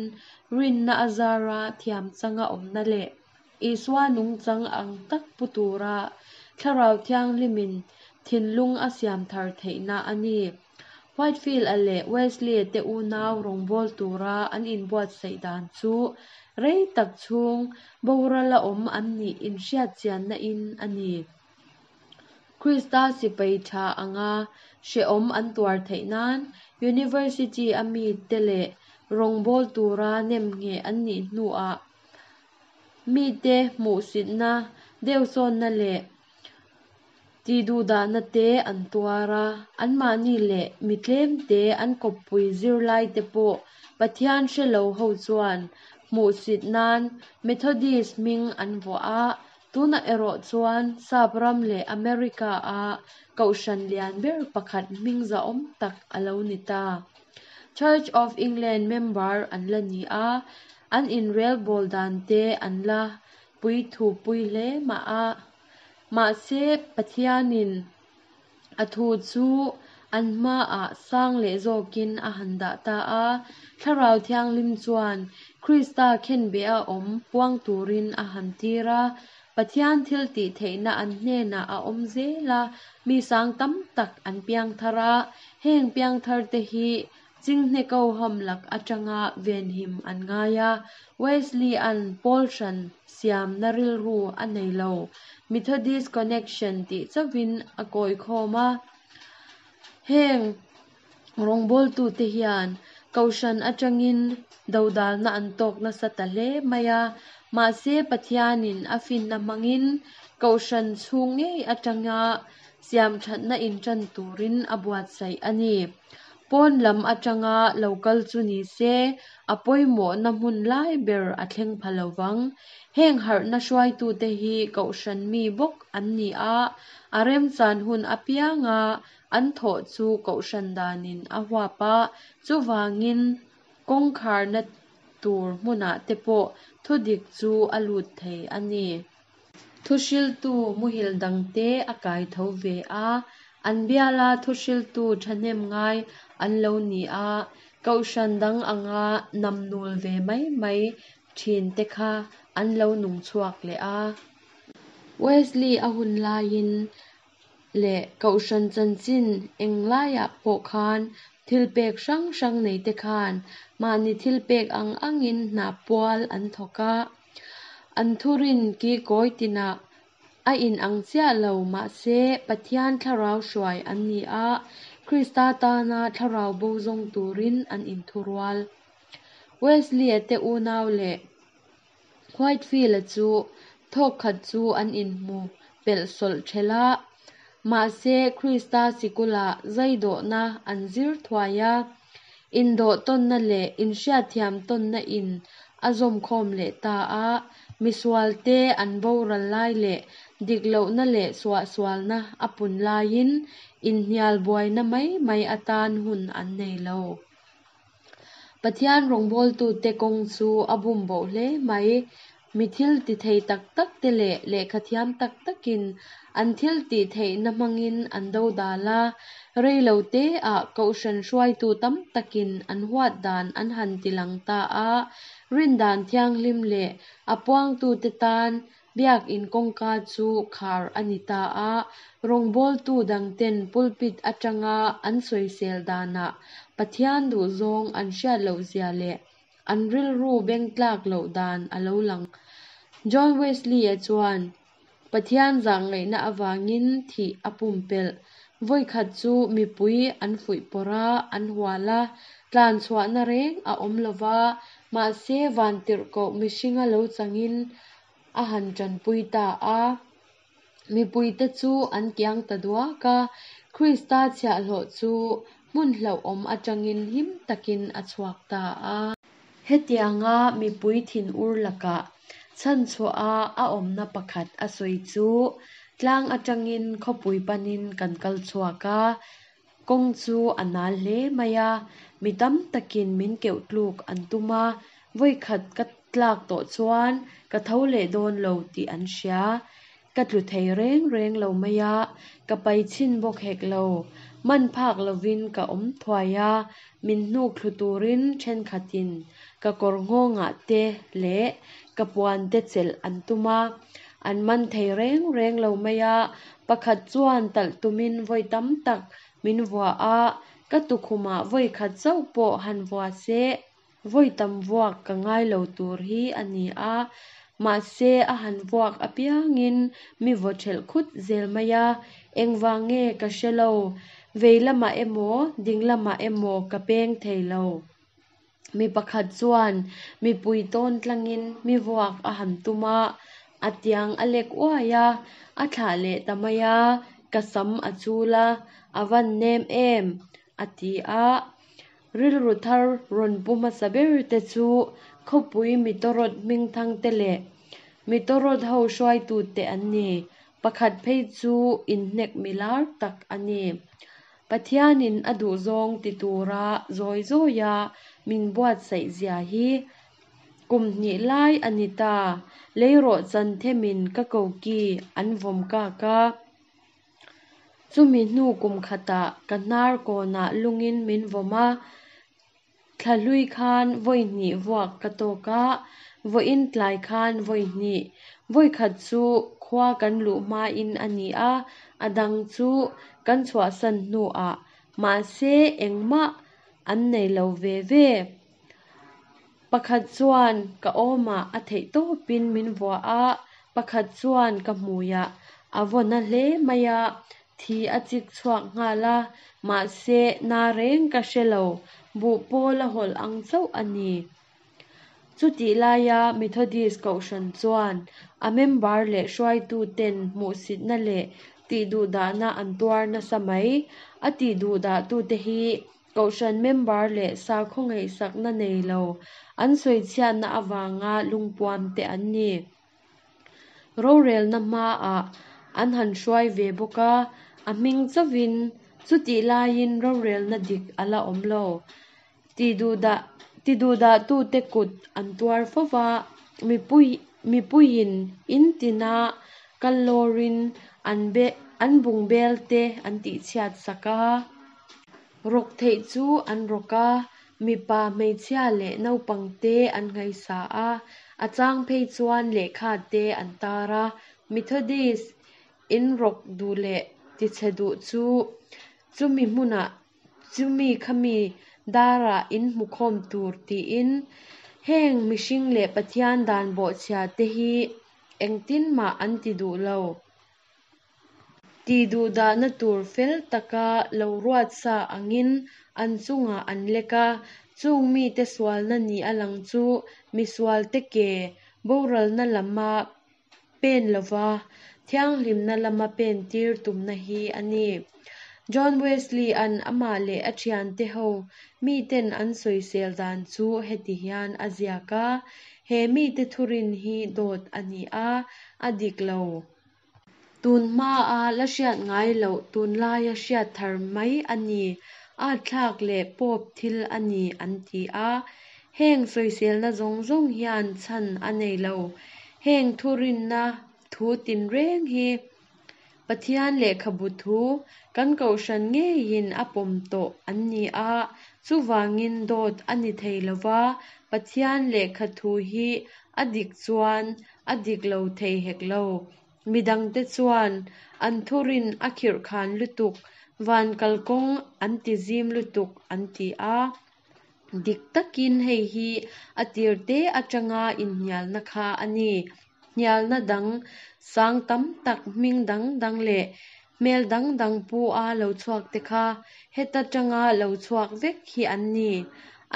rinna a zara thiam changa awmna leh Isua nungchang ang tak pu tura Thlarau Thianghlimin thinlung a siam thar theihna a ni. Whitefield-a leh Wesley-a te unau rawngbâwl tura an inbuatsaih dan chu rei tak chhung borala awm an nih inhriatchianna in a ni. Krista sipai tha anga hrehawm an tuar theih nan University a mite leh rawngbâwl tura nemngheh an nih hnuah mite hmuhsitna, deuhsawnna leh tiduhdahna te an tuar a. Anmahni leh mi tlemte an kawppui zirlai te pawh Pathian hre lo ho chuan hmuhsit nan Methodist hming an vuah a. Tunah erawh chuan Sap ram leh America a kohhran lian ber pakhat hming zahawm tak a lo ni ta. Church of England member an la ni a, an inrelbawl dan te an la puithu pui hle mah a. Mahse Pathianin a thu chu an hmaah sang leh zawkin a han dah ta a. Thlarau Thianghlim chuan Krista khenbeh a awm puang turin a han tir a. Pathian thil tih theihna an hnenah a awm zel a, mi sang tam tak an piang thar a. Heng piang thar te hi chinghne ko ham lak atanga venhim an ngai a. Wesley-an pawl hran siamna rilru a nei lo. Methodist Connection tih chauhin a kawi khawm a. Heng rawngbawltute hian kohhran atangin dodalna an tawk nasa ta hle mai a. Mahse Pathianin a finna hmangin kohhran chhung ngei atanga siam thatna intan turin a buatsaih a ni. Pawn lam atanga lo kal chu ni se a pawimawhna hmun lai ber a thleng pha lovang. Heng harhna hruaitute hi kohhran mi bawk an ni a, a remchan hun apianga an thawh chu kohhran danin a huap a. Chuvangin kawngkharna tur hmunah te pawh thudik chu a lut thei a ni. Thuhriltu muhil dangte a kai tho ve a, an biala thuhriltu thahnem ngai an lo ni a. Kohhran dang anga namnul ve mai mai thin te kha an lo nung chhuak leh a. Wesley a hun laiin leh kohhran chanchin eng laiah pawh khan thil pek hrang hrang nei te khan mahni thil pek ang angin hna pual an thawk a. An thurin ki kawi tinah a inang chiah lo mahse Pathian thlarau hruai an ni a, Krista tana thlarau bo zawng turin an inthurual. Wesley-a te unau leh Whitefield-a chu thawk khat chu an inhmu pelh sawlh ṭhelh a. Mahse Krista sikulah zaidawhna an zir thuai a, indawh tawnna leh inhriatthiam tawnna in a zawm khawm leh ta a. Misualte an boral lai leh dik lohna leh suahsualna a pun laiin inhnial buaina mai mai atan hun an nei lo. Pathian rawngbawltute kawng chu a bumboh hle mai. Mi thil ti thei tak tak te leh lehkha thiam tak takin an thil tih theihna hmangin an dodal a. Rei lo te ah kohhran hruaitu tam takin an huat dan an han tilang ta a. Rindan thianghlim leh a puangtute tan Biak in kawngka chu khar a ni ta a. Rawngbawltu dangten pulpit atanga an sawisel danah Pathian duhzawng an hriat lohzia leh an rilru bengtlak loh dan a lo lang. John Wesley-a chuan Pathian zahngaihna avangin thih a pumpelh. Vawikhat chu mipui an fuihpawrh a, an hual a, tlan chhuahna reng a awm lo va, mahse vantirhkoh mihringa lo changin a han tanpui ta a. Mipuite chu an kiang ta duak a, Krista chhiahhlawh chu hmun hlauhawm atangin him takin a chhuak ta a. Hetianga mipui thinur lakah chhanchhuaha a awmna pakhat a sawi chu, Tlang atangin khawpui panin kan kal chhuak a, kawng chu a nal hle mai a, mi tam takin min keuh tluk an tum a, vawikhat ka tlak tawh chuan ka tho leh dawn lo tih an hria. Ka tlu thei reng reng lo mai a, ka pai chhin bawk hek lo. Man phak lovin ka awm thuai a, min hnuk thlu turin thenkhatin ka kawr nghawngah te leh ka puan te chelh an tum a, an man thei reng reng lo mai a. Pakhat chuan talh tumin vawi tam tak min vua a, ka tukhumah vawi khat chauh pawh han vua se, vawi tam vuak ka ngai lo tur hi a ni a. Mahse a han vuak apiangin mi vaw thelh khut zel mai a, engvang nge ka hre lo, vei lamah emaw ding lamah emaw ka peng thei lo. Mi pakhat chuan mipui tawn tlangin mi vuak a han tum a, a tiang a lek uai a, a thlah leh ta mai a, ka sam a chul a, a van nem em, a ti a. Rilru thar rawn pu hmasa ber te chu khawpui mitawrawt hmingthang te leh mitawrawt ho hruaitute an ni. Pakhat phei chu inhnek milar tak a ni. Pathianin a duhzawng ti tura zawi zawia min buatsaih zia hi kum hnih lai a ni ta. Leirawh chan themin ka koki an vawm kak a. Chumi hnu kum khatah ka hnar kawnah lungin min vawm a. Thla hlui khan vawi hnih vuak ka tawk a, vawiin tlai khan vawi hnih. Vawi khat chu khua kan luh hmain a ni a, a dang chu kan chhuahsan hnuah. Mahse engmah an nei lo ve ve. Pakhat chuan ka awmah a theih tawpin min vua a, pakhat chuan ka hmuiah a vaw na hle mai a, thi a chik chhuak nghal a, mahse na reng ka hre lo, buh pawl a hawlh ang chauh a ni. Chutih laia Methodist Kohhran chuan a member leh hruaituten hmuhsitna leh tihduhdahna an tuar nasa mai. A tihduhdahtute hi Kohhran member leh sakhaw ngaihsakna nei lo, an sawichhiatna avanga lungpuamte an ni. Rorelna hmaah an han hruai ve bawk a, a hming chauhin chutih laiin rorelna dik a la awm lo. Tihduhdah Tiduhdahtute kut an tuar fo va, mipui mipuiin in tina kal lawrin an be an bungbel te an tihchhiat sak a. Rawk theih chu an rawk a, mipa hmeichhia leh naupang te an nghaisa a, a chang phei chuan lehkha te an tar a. Methodist in rawk duh leh tichhe duh chu chumi hmunah chumi khami darah in hmukhawm tur tiin heng mihring leh Pathian dan bawhchhia te hi engtin mah an ti duh lo. Tihduhdahna tur fel taka lo ruat sa angin an chungah an lek a, chung mite sualna ni a lang chu misualte ke boralna lama pen lova thianghlimna lama pen tir tumna hi a ni. John Wesley-a'n amah leh a thiante ho miten an sawisel dan chu heti hian a ziak a, He mite thurin hi dawt a ni a, a dik lo. Tun hmaa la hriat ngai loh tunlaia hriat thar mai a ni, atthlak leh pawp thil a ni an ti a. Heng sawiselna zawng zawng hian chhan a nei lo. Heng thurinna thu tinreng hi Pathian lehkhabu thu kan kohhran ngeiin a pawm tawh an ni a, chuvangin dawt a ni thei lo va, Pathian lehkha thu hi A dik chuan a dik lo thei hek lo. Midangte chuan an thurin a khirhkhan lutuk, van kalkawng an tizim lutuk an ti a. Dik takin hei hi a tirte atanga inhnialna kha a ni. Hnialna dang sang tam tak hming dang dang leh hmel dang dang pu a lo chhuak te kha heta tanga lo chhuak vek hi an ni.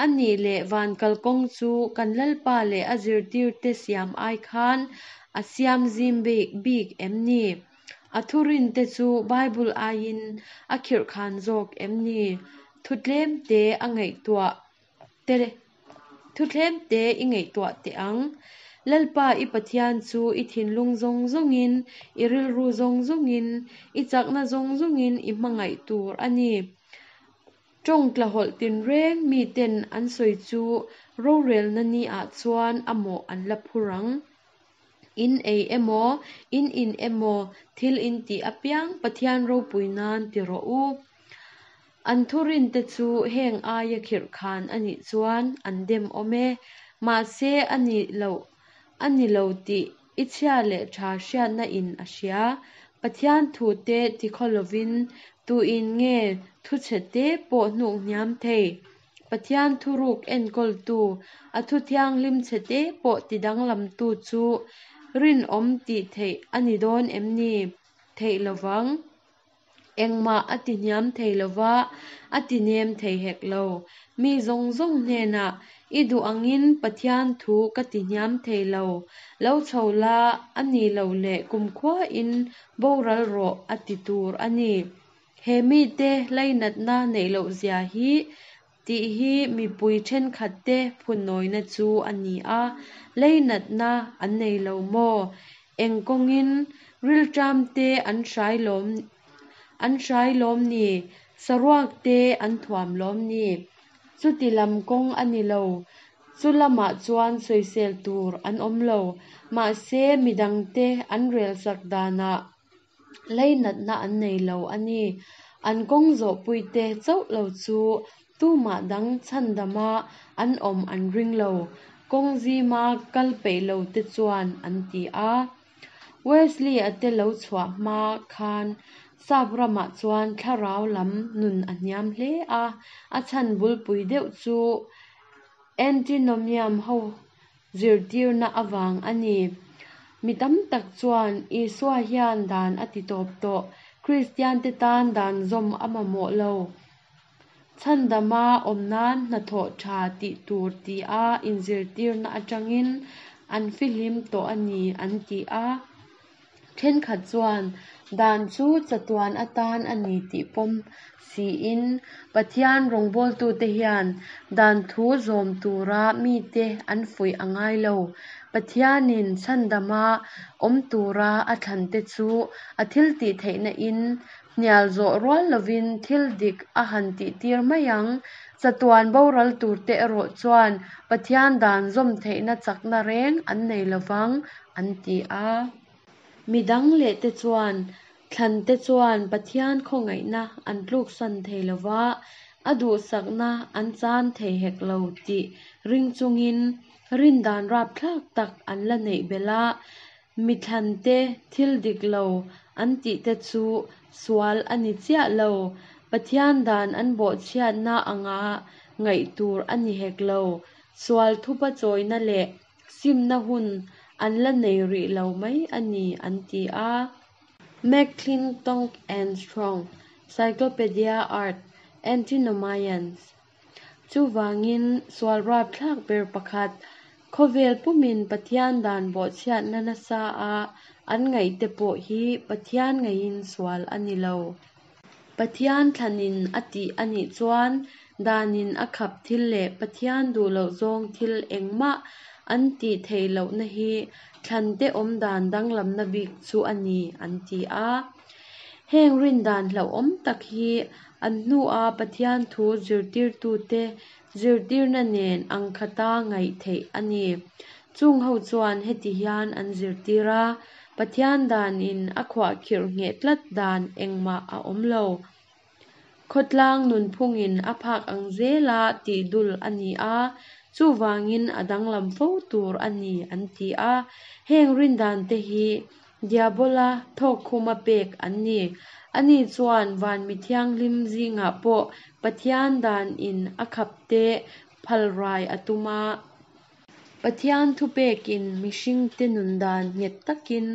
A nih leh van kalkawng chu kan Lalpa leh a zirtirte siam ai khan a siam zim bik em ni? A thurinte chu Bible aiin a khirhkhan zawk em ni? Thu tlemte a ngaihtuah te Thu tlemte i ngaihtuah teh ang. Lalpa i Pathian chu i thinlung zawng zawngin, i rilru zawng zawngin, i chakna zawng zawngin i hmangaih tur a ni. Tawng tlahawlh tinreng miten an sawi chu rorelna ni ah chuan a mawh an la phur ang. In ei emaw, in in emaw, thil in tih apiang Pathian ropui nan ti rawh u. An thurinte chu heng aia khirhkhan a nih chuan an dem awm e. Mahse a ni lo a ni lo tih i chhia leh tha hriatna in a hria. Pathian thute tikhaw lovin tuin nge thu chhete pawh hnuk hniam thei. Pathian thuruk enkawltu, a thu thianghlim chhete pawh tidanglamtu chu rinawm tih theih a ni dawn em ni? Theih lovang. Engmah a tihniam thei lova, a tinem thei hek lo. Mi zawng zawng hnenah i duh angin Pathian thu ka tihniam thei lo. Lo chho la, a nih loh leh kumkhuain boral rawh a ti tur a ni. He mite lainatna neih loh zia hi tih hi mipui thenkhatte phunawina chu a ni a. Lainatna an nei lo maw? Eng kawngin rilṭamte an hrai lawm an hrai lawm ni? Saruakte an thuam lawm ni? Chuti lam kawng a ni lo. Chu lamah chuan sawisel tur an awm lo. Mahse midangte an relsak danah lainatna an nei lo a ni. An kawng zawhpuite chauh lo chu tumah dang chhandama an awm an ring lo. Kawng zima kal peih lo te chuan an ti a. Wesley a te lo chhuah hma khan Sap ramah chuan thlarau lam nun a hniam hle a. A chhan bulpui deuh chu antinomian ho zirtirna avang a ni. Mi tam tak chuan Isua hian dan a ti tawp tawh. Kristian te tan dan zawm a mamawh lo. Chhandama awm nan hnathawh tha tih tur ti a inzirtirna atangin an fihlim tawh a ni an ti a. Thenkhat chuan dan chu chatuan atan a ni tih pawm siin Pathian rawngbawltute hian dan thu zawm tura mite an fuih a ngai lo. Pathianin chhandama awm tura a thlante chu a thiltihtheihna in hnial zawh rual lovin thil dik a han tihtir mai ang. Chatuan boral turte erawh chuan Pathian dan zawm theihna chakna reng an nei lovang an ti a. Midang leh te chuan thlante chuan Pathian khawngaihna an tluksan thei lova, a duhsakna an chan thei hek lo tih ring chungin rindan rapthlak tak an la neih belh a. Mi thlante thil dik lo an tihte chu sual a ni chiah lo. Pathian dan an bawhchhiatna anga ngaih tur a ni hek lo. Sual thupa chawina leh simna hun an la nei rih lo mai a ni an ti a. McClintock and Strong, Cyclopedia Art, Antinomians. Chuvangin sual rapthlak ber pakhat, khawvel pumin Pathian dan bawhchhiatna nasa a an ngaihte pawh hi Pathian ngaihin sual a ni lo. Pathian thlanin a tih a nih chuan danin a khap thil leh Pathian duh loh zawng thil engmah an tih theih lohna hi thlante awm dan danglamna bik chu a ni an ti a. Heng rindan hlauhawm tak hi an hnua Pathian thu zirtirtute zirtirna nen ang khata ngaih theih a ni. Chung ho chuan heti hian an zirtir a, Pathian danin a khuahkhirh ngheh tlat dan engmah a awm lo. Khawtlang nunphungin a phak ang zela tih dul a ni a, Chuvangin a danglam fo tur a ni an ti a. Heng rindante hi Diabola thawkkhuma pek an ni. Ani chuan van mi thianghlim zingah pawh Pathian danin a khapte phalrai a tum a. Pathian thupekin mihringte nundan nghet takin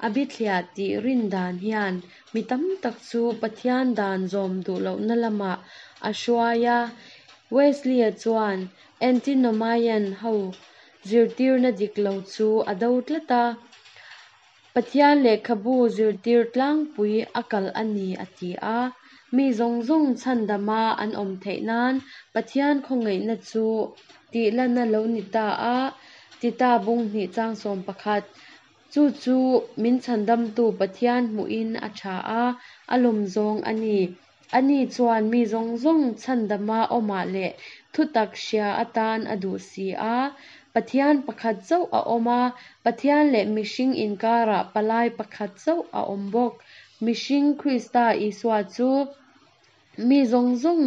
a bithliah tih rindan hian mi tam tak chu Pathian dan zawm duh lohna lamah a hruai a. Wesley-a chuan Antinomian ho zirtirna dik lo chu a do tlat a. Pathian lehkhabu zirtir tlangpui a kalh a ni a ti a. Mi zawng zawng chhandama an awm theih nan Pathian khawngaihna chu tihlan a lo ni ta a, Tita bung hnih chang sawm pakhat. Chu chu min chhandamtu Pathian hmuhin a tha a, a lawm zawng a ni. Ani chuan mi zawng zawng chhandama awmah leh thutak hria atan a duh si a. Pathian pakhat chauh a awm a, Pathian leh mihring inkarah palai pakhat chauh a awm bawk. Mihring Krista Isua chu mi zawng zawng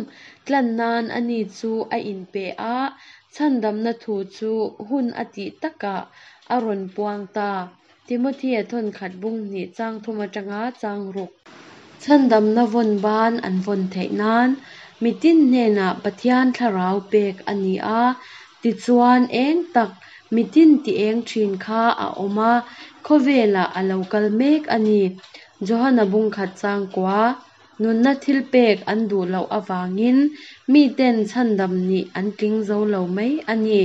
tlan nan ani chu a inpe a, chhandamna thu chu hun a tih takah a rawn puang ta. Timothea thawnkhat bung hnih chang thum atanga chang ruk. Chhandamna vawn ban an vawn theih nan mitin hnenah Pathian thlarau pek a ni a. Tichuan eng tak mitin ti eng thin kha a awm a, khawvelah a lo kal mek a ni. Johana bung khat chang kua. Nunna thil pek an duh loh avangin miten chhandam nih an tling zo lo mai a ni.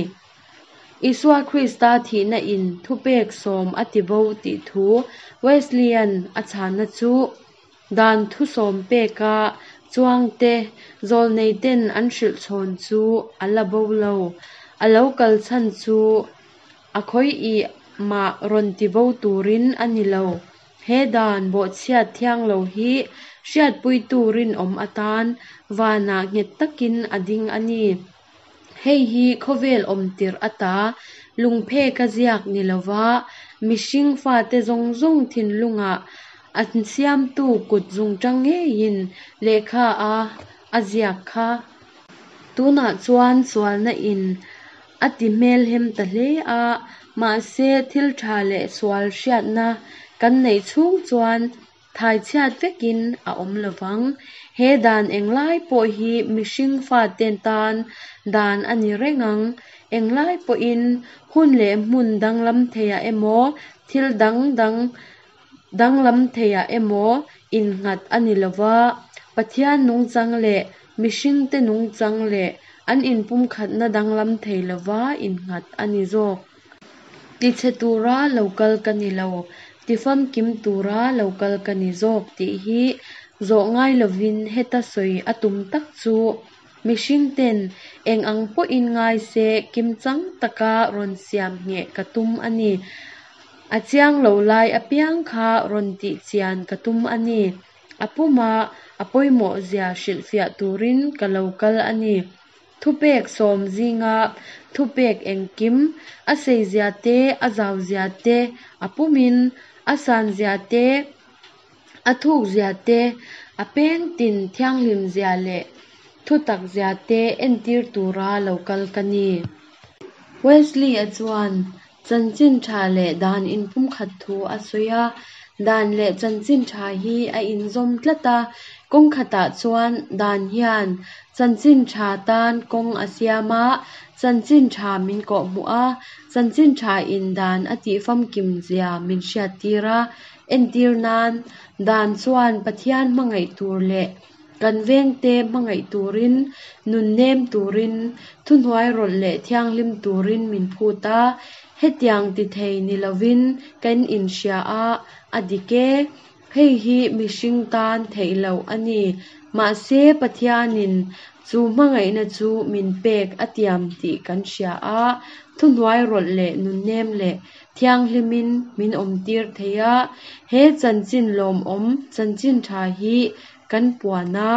Isua Krista thihna in thupek sawm a ti bo tih thu Wesleyan a chhana chu dan thu sawm peka chuangte zawlneiten an hrilh chhawn chu a la bo lo. A lo kal chhan chu a khawi mah rawn ti bo turin a ni lo. He dan bawhchhiat thiang lo hi hriatpuitu rinawm atan vanah nghet takin a ding a ni. Hei hi khawvel awm tirh ata lungpheka ziak ni lova mihring fate zawng zawng thinlungah an siamtu kut zungtang ngeiin lehkha a a ziak kha. Tunah chuan sualna in a ti hmelhem ta hle a, mahse thil tha leh sual hriatna kan neih chhung chuan thaichhiat vekin a awm lovang. He dan englai pawh hi mihring fate tan dan a ni reng ang. Englai pawhin hun leh hmun danglam theiah emaw thil dang dang danglam theiah emaw innghat a ni lova. Pathian nungchang leh mihringte nungchang leh an inpumkhatna danglam thei lova innghat a ni zawk. Tichhe tura lo kal ka ni lo, tifamkim tura lo kal ka ni zawk tih hi zawh ngai lovin heta sawi a tum tak chu mihringten eng ang pawhin ngai se kimchang taka rawn siam ngheh ka tum a ni. A chiang lo lai apiang kha rawn tih chian ka tum a ni. A puma a pawimawh zia hrilhfiah turin ka lo kal a ni. Thupek sawm zinga thupek engkim a sei zia te, a zau zia te, a pumin a san zia te, a thuk zia te, a peng tin thianghlim zia leh thutak zia te entir tura lo kal ka ni. Wesley-a chuan chanchin tha leh dan inpumkhat thu a sawi a. Dan leh chanchin tha hi a inzawm tlat a. Kawng khatah chuan dan hian chanchin tha tan kawng a siam a, chanchin tha min kawhhmuh a, chanchin tha in dan a tihfamkim zia min hriattir a. Entir nan dan chuan Pathian hmangaih tur leh kan vengte hmangaih turin, nun nem turin, thuhnuai rawlh leh thianghlim turin min phut a. Hetiang ti thei ni lovin kan inhria a, a dik e. Hei hi mihring tan theih loh a ni. Mahse Pathianin chu hmangaihna chu min pek a tiam tih kan hria a, thuhnuai rawlh leh nun nem leh thianghlimin min awmtir thei a. He chanchin lawmawm chanchin tha hi kan puan a,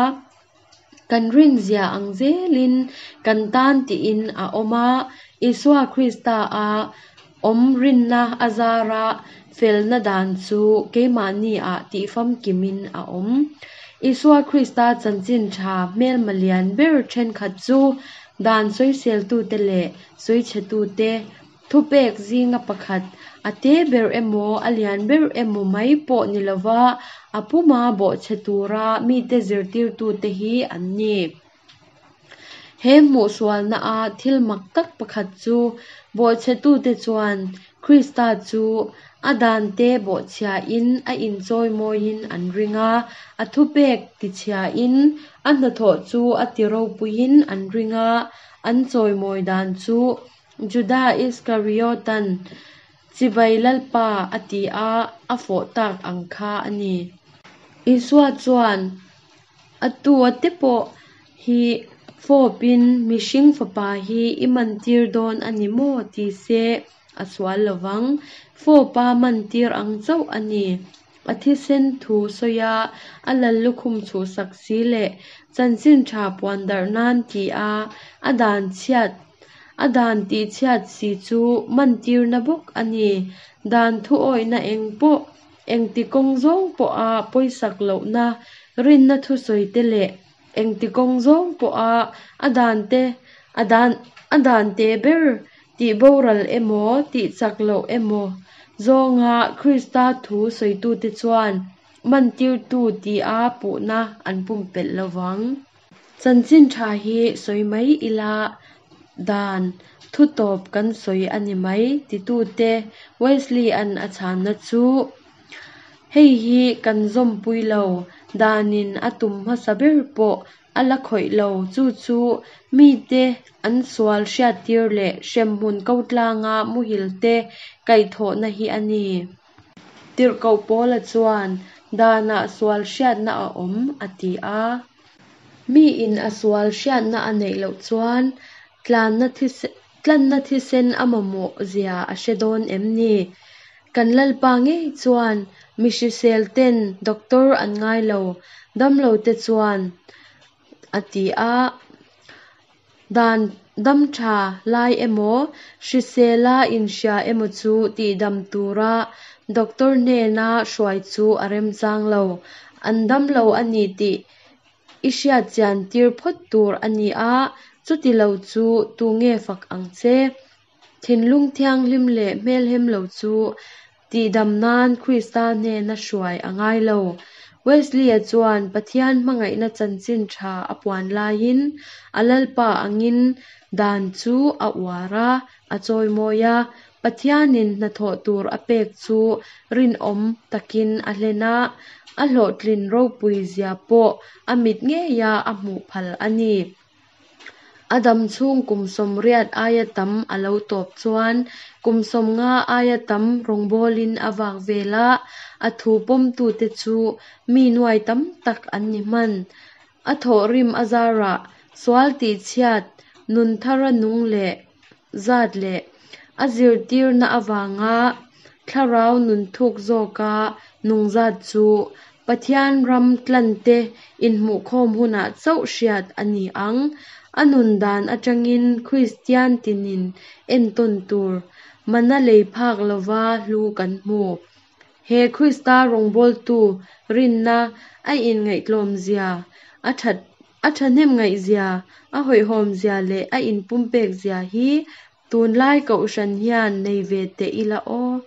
kan rin zia ang zelin kan tan tiin a awm a. Isua Krista a awm rinna a zara felna dan chu keimahni ah tihfamkimin a awm. Isua Krista chanchin tha hmelma lian ber thenkhat chu Dan sawiseltute leh sawichhetute thupek zinga pakhat, a te ber emaw a lian ber emaw mai pawh ni lova a puma bawhchhe tura mite zirtirtute hi an ni. He hmuhsualna-a thil mak tak pakhat chu bawhchhetute chuan Krista chu a dante bawhchhiain a inchawimawiin an ring a, a thupek tichhiain a hnathawh chu a tiropuiin an ring a, an chawimawi dan chu Juda Iskariotan Chibai Lalpa a ti a, a fawh tak ang kha a ni. Isua chuan a tu a te pawh hi fawpin mihring fapa hi i mantir dawn a ni maw ti se a sual lovang. Fawpa mantir ang chauh a ni. A thisen thu sawia a lallukhum chhuhsak si leh chanchin tha puan darh nan ti a a dan chhiat a dan tihchhiat si chu mantirna bawk a ni. Dan thu awihna eng pawh engti kawng zawng pawha pawisak lohna rinna thusawite leh engti kawng zawng pawha a dante a dan a dante ber tihboral emaw tihchak loh emaw zawnga Krista thu sawitute chuan mantirtu tia puhna an pumpelh lovang. Chanchin tha hi sawi mai ila dan thu tawp kan sawi a ni mai titute Wesley-an a chhanna chu hei hi kan zawmpui lo, danin a tum hmasa ber pawh a la khawih lo, chu chu mite an sual hriattir leh hremhmun ko tlanga muhil te kaihthawhna hi a ni. Tirhkoh Paula chuan danah sual hriatna a awm a ti a. Miin a sual hriatna a neih loh chuan tlanna thisen tlanna thisen a mamawh zia a hre dawn em ni? Kan Lalpa ngei chuan mi hrisel ten doctor an ngai lo, damlo te chuan a ti a. Dan dam tha lai emaw hrisela inhria emaw chu tihdam tura doctor hnena hruai chu a remchang lo. An damlo a ni tih i hriat chian tir phawt tur a ni a, chuti lo chu tunge fak ang che? Thinlung thianghlim leh hmelhem lo chu tihdam nan Krista hnena hruai a ngai lo. Wesley-a chuan Pathian hmangaihna chanchin tha a puan laiin a Lalpa angin dan chu a uar a, a chawimawi a. Pathianin hnathawh tur a pek chu rinawm takin a hlen a, a hlawhtlin ropui zia pawh a mit ngeia a hmuh phal a ni. A dam chhung kum sawmriat aia tam a lo tawp chuan kum sawmnga aia tam rawngbawlin a vak vel a, a thu pawmtute chu mi nuai tam tak an ni hman. A thawhrim a zarah sual tihchhiat nun thara nung leh zat leh a zirtirna avanga thlarau nun thuk zawka nung zat chu Pathian ram tlante inhmuhkhawm hunah chauh hriat a ni ang. A nun dan atangin Kristian tinin entawn tur mana lei phak lova hlu kan hmu. He Krista rawngbawltu rinna a inngaihtlawm zia, a that a thahnem zia, a hawihhawm zia leh a inpumpek zia hi tunlai kohhran hian nei ve teh ila aw.